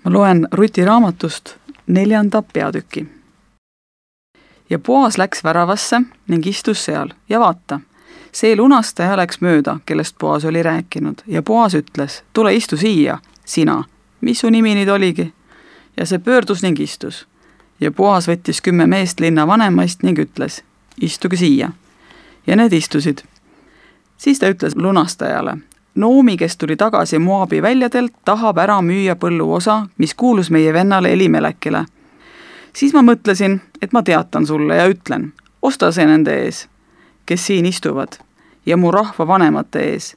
Ma loen Ruti raamatust 4. peatüki. Ja Boas läks väravasse ning istus seal ja vaata, see lunastaja läks mööda, kellest Boas oli rääkinud ja Boas ütles, tule istu siia, sina, mis su nimi nüüd oligi? Ja see pöördus ning istus. Ja Boas võttis 10 meest linna vanemaist ning ütles, istuge siia. Ja need istusid. Siis ta ütles lunastajale, Noomi, kes tuli tagasi Moabi väljadelt, tahab ära müüa põlluosa, mis kuulus meie vennale Elimelekile. Siis ma mõtlesin, et ma teatan sulle ja ütlen, osta see nende ees, kes siin istuvad, ja mu rahva vanemate ees.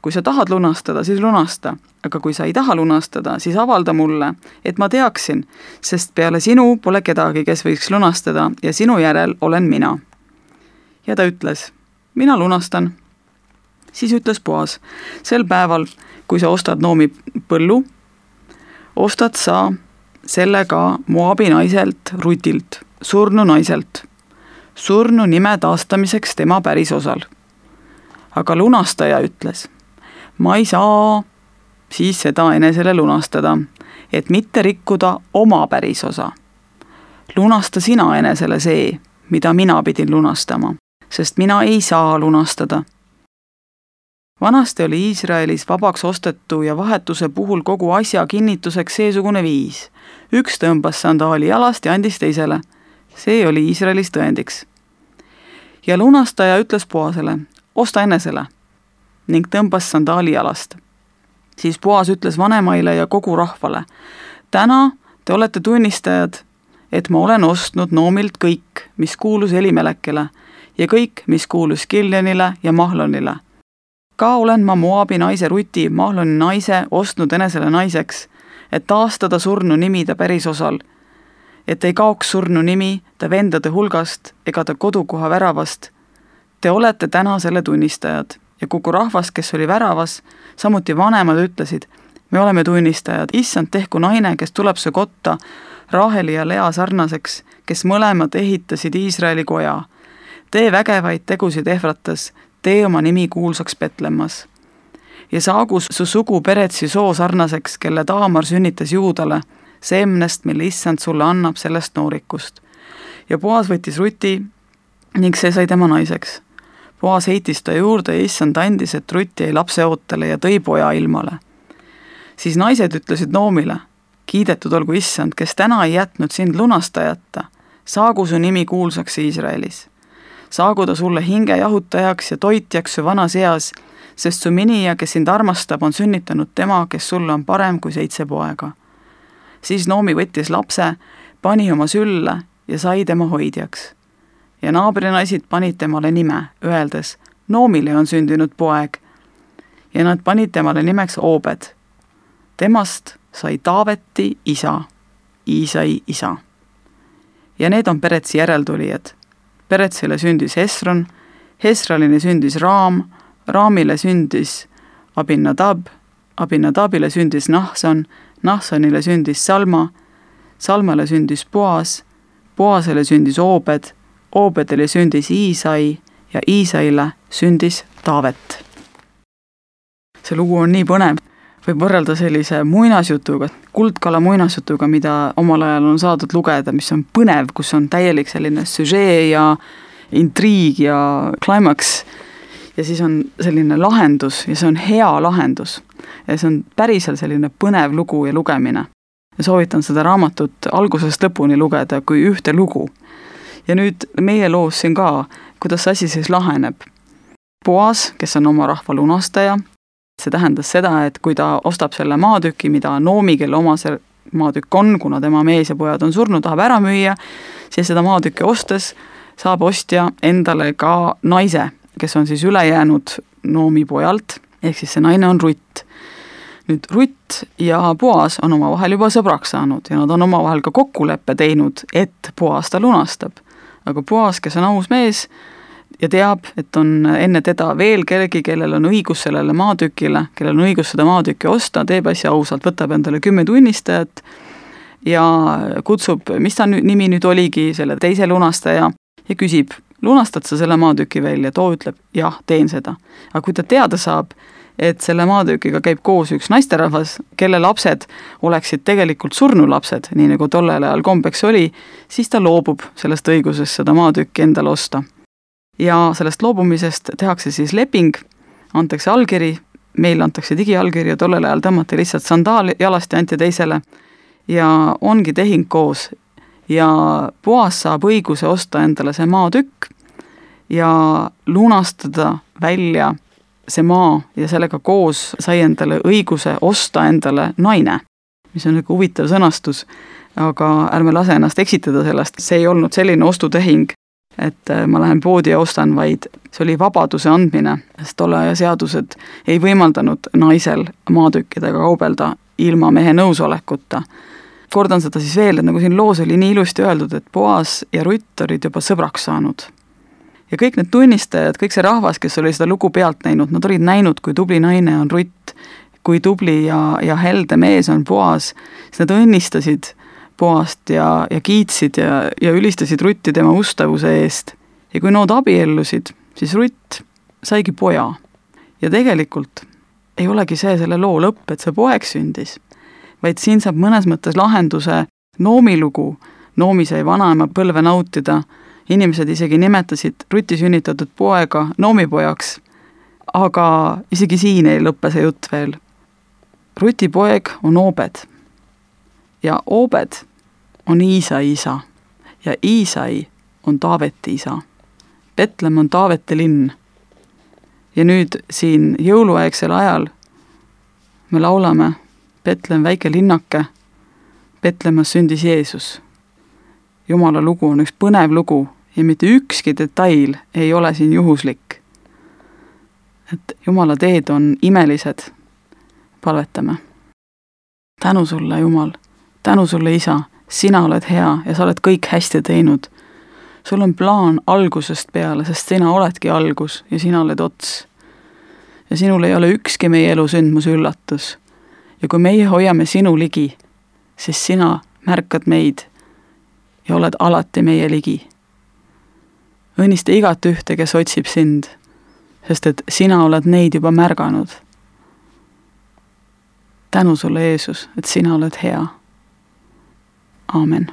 Kui sa tahad lunastada, siis lunasta, aga kui sa ei taha lunastada, siis avalda mulle, et ma teaksin, sest peale sinu pole kedagi, kes võiks lunastada ja sinu järel olen mina. Ja ta ütles, mina lunastan. Siis ütles Boas, sel päeval, kui sa ostad Noomi põllu, ostad sa selle ka Moabi naiselt Rutilt, surnu naiselt, surnu nime taastamiseks tema pärisosal. Aga lunastaja ütles, ma ei saa siis seda enesele lunastada, et mitte rikkuda oma pärisosa. Lunasta sina enesele see, mida mina pidin lunastama, sest mina ei saa lunastada. Vanasti oli Iisraelis vabaks ostetu ja vahetuse puhul kogu asja kinnituseks seesugune viis. Üks tõmbas sandaali jalast ja andis teisele. See oli Iisraelis tõendiks. Ja lunastaja ütles Boasele, osta enesele, ning tõmbas sandaali jalast. Siis Boas ütles vanemaile ja kogu rahvale, täna te olete tunnistajad, et ma olen ostnud Noomilt kõik, mis kuulus Elimelekile ja kõik, mis kuulus Kiljonile ja Mahlonile. Ka olen ma Moabi naise Ruti, Mahloni naise, ostnud enesele naiseks, et taastada surnu nimi ta pärisosal, et ei kaoks surnu nimi ta vendade hulgast ega ta kodukoha väravast. Te olete täna selle tunnistajad ja kogu rahvas, kes oli väravas, samuti vanemad ütlesid, me oleme tunnistajad, issand tehku naine, kes tuleb su kotta Raheli ja Lea sarnaseks, kes mõlemad ehitasid Iisraeli koja. Tee vägevaid tegusid Efratas, tee oma nimi kuulsaks Betlemmas. Ja saagu su sugu Peretsi soo sarnaseks, kelle Taamar sünnitas Juudale, seemnest, mille issand sulle annab sellest noorikust. Ja Boas võttis Ruti ning see sai tema naiseks. Boas heitis ta juurde ja issand andis, et Ruti jäi lapse ootele ja tõi poja ilmale. Siis naised ütlesid Noomile, kiidetud olgu issand, kes täna ei jätnud sind lunastajata, saagu su nimi kuulsaks Iisraelis. Saagu ta sulle hinge jahutajaks ja toitjaks su vanas eas, sest su minija, kes sind armastab, on sünnitanud tema, kes sulle on parem kui 7 poega. Siis Noomi võttis lapse, pani oma sülle ja sai tema hoidjaks. Ja naabrinaised panid temale nime, öeldes, Noomile on sündinud poeg. Ja nad panid temale nimeks Obed. Temast sai Taaveti isa, Iisai isa. Ja need on Peretsi järeltulijad. Peretsile sündis Hesron, Hesralile sündis Raam, Raamile sündis Abinadab, Abinadabile sündis Nahson, Nahsonile sündis Salma, Salmale sündis Boas, Boasele sündis Obed, Obedile sündis Iisai ja Iisaile sündis Taavet. See lugu on nii põnev, võib võrrelda sellise muinasjutuga, kuldkala muinasjutuga, mida omal ajal on saadud lugeda, mis on põnev, kus on täielik selline süžee ja intriig ja climax. Ja siis on selline lahendus ja see on hea lahendus. Ja see on päriselt selline põnev lugu ja lugemine. Ja soovitan seda raamatut algusest lõpuni lugeda kui ühte lugu. Ja nüüd meie loos siin ka, kuidas asi siis laheneb. Boas, kes on oma rahva lunastaja, see tähendas seda, et kui ta ostab selle maatüki, mida Noomi, kelle oma see maatükk on, kuna tema mees ja pojad on surnud, tahab ära müüa, siis seda maatükki ostes saab ostja endale ka naise, kes on siis üle jäänud Noomi pojalt, ehk siis see naine on Rutt. Nüüd Rutt ja Boas on oma vahel juba sõbraks saanud ja nad on oma vahel ka kokkuleppe teinud, et Boas ta lunastab. Aga Boas, kes on aus mees ja teab, et on enne teda veel kellegi, kellel on õigus sellele maatükile, kellel on õigus seda maatükki osta, teeb asja ausalt, võtab endale 10 tunnistajat ja kutsub, mis ta nimi nüüd oligi, selle teise lunastaja ja küsib lunastad sa selle maatüki välja, too ütleb, jah, teen seda. Aga kui ta teada saab, et selle maatükiga käib koos üks naisterahvas, kelle lapsed oleksid tegelikult surnulapsed, nii nagu tollel ajal kombeks oli, siis ta loobub sellest õigusest seda maatükki endale osta. Ja sellest loobumisest tehakse siis leping, antakse allkiri, meil antakse digiallkiri ja tollel ajal tõmmati lihtsalt sandaal jalast ja anti teisele ja ongi tehing koos. Ja Boas saab õiguse osta endale see maatükk ja lunastada välja see maa ja sellega koos sai endale õiguse osta endale naine, mis on nagu huvitav sõnastus, aga ärme lase ennast eksitada sellest, see ei olnud selline ostutehing, et ma lähen poodi ja ostan, vaid see oli vabaduse andmine, sest tolle aja seadused ei võimaldanud naisel maatükkidega kaubelda ilma mehe nõusolekuta. Kordan seda siis veel, et nagu siin loos oli nii ilusti öeldud, et Boas ja Rutt olid juba sõbraks saanud. Ja kõik need tunnistajad, kõik see rahvas, kes oli seda lugu pealt näinud, nad olid näinud, kui tubli naine on Rutt, kui tubli ja helde mees on Boas, siis nad õnnistasid Boast ja kiitsid ja ülistasid Rutti tema ustavuse eest. Ja kui nad abiellusid, siis Rutt saigi poja. Ja tegelikult ei olegi see selle loo lõpp, et see poeg sündis, vaid siin saab mõnes mõttes lahenduse Noomi lugu. Noomi sai vanaema põlve nautida, inimesed isegi nimetasid Rutti sünnitatud poega Noomi pojaks, aga isegi siin ei lõppe see jutt veel. Ruti poeg on Obed ja Obed on Iisai isa ja Iisai on Taaveti isa. Betlem on Taaveti linn. Ja nüüd siin jõuluaegsel ajal me laulame Betlem väike linnake, Betlemas sündis Jeesus. Jumala lugu on üks põnev lugu ja mitte ükski detail ei ole siin juhuslik. Et Jumala teed on imelised. Palvetame. Tänu sulle, Jumal, tänu sulle, Isa, sina oled hea ja sa oled kõik hästi teinud. Sul on plaan algusest peale, sest sina oledki algus ja sina oled ots. Ja sinul ei ole ükski meie elu sündmus üllatus. Ja kui meie hoiame sinu ligi, siis sina märkad meid ja oled alati meie ligi. Õnnista igat ühte, kes otsib sind, sest et sina oled neid juba märganud. Tänu sulle, Jeesus, et sina oled hea. Aamen.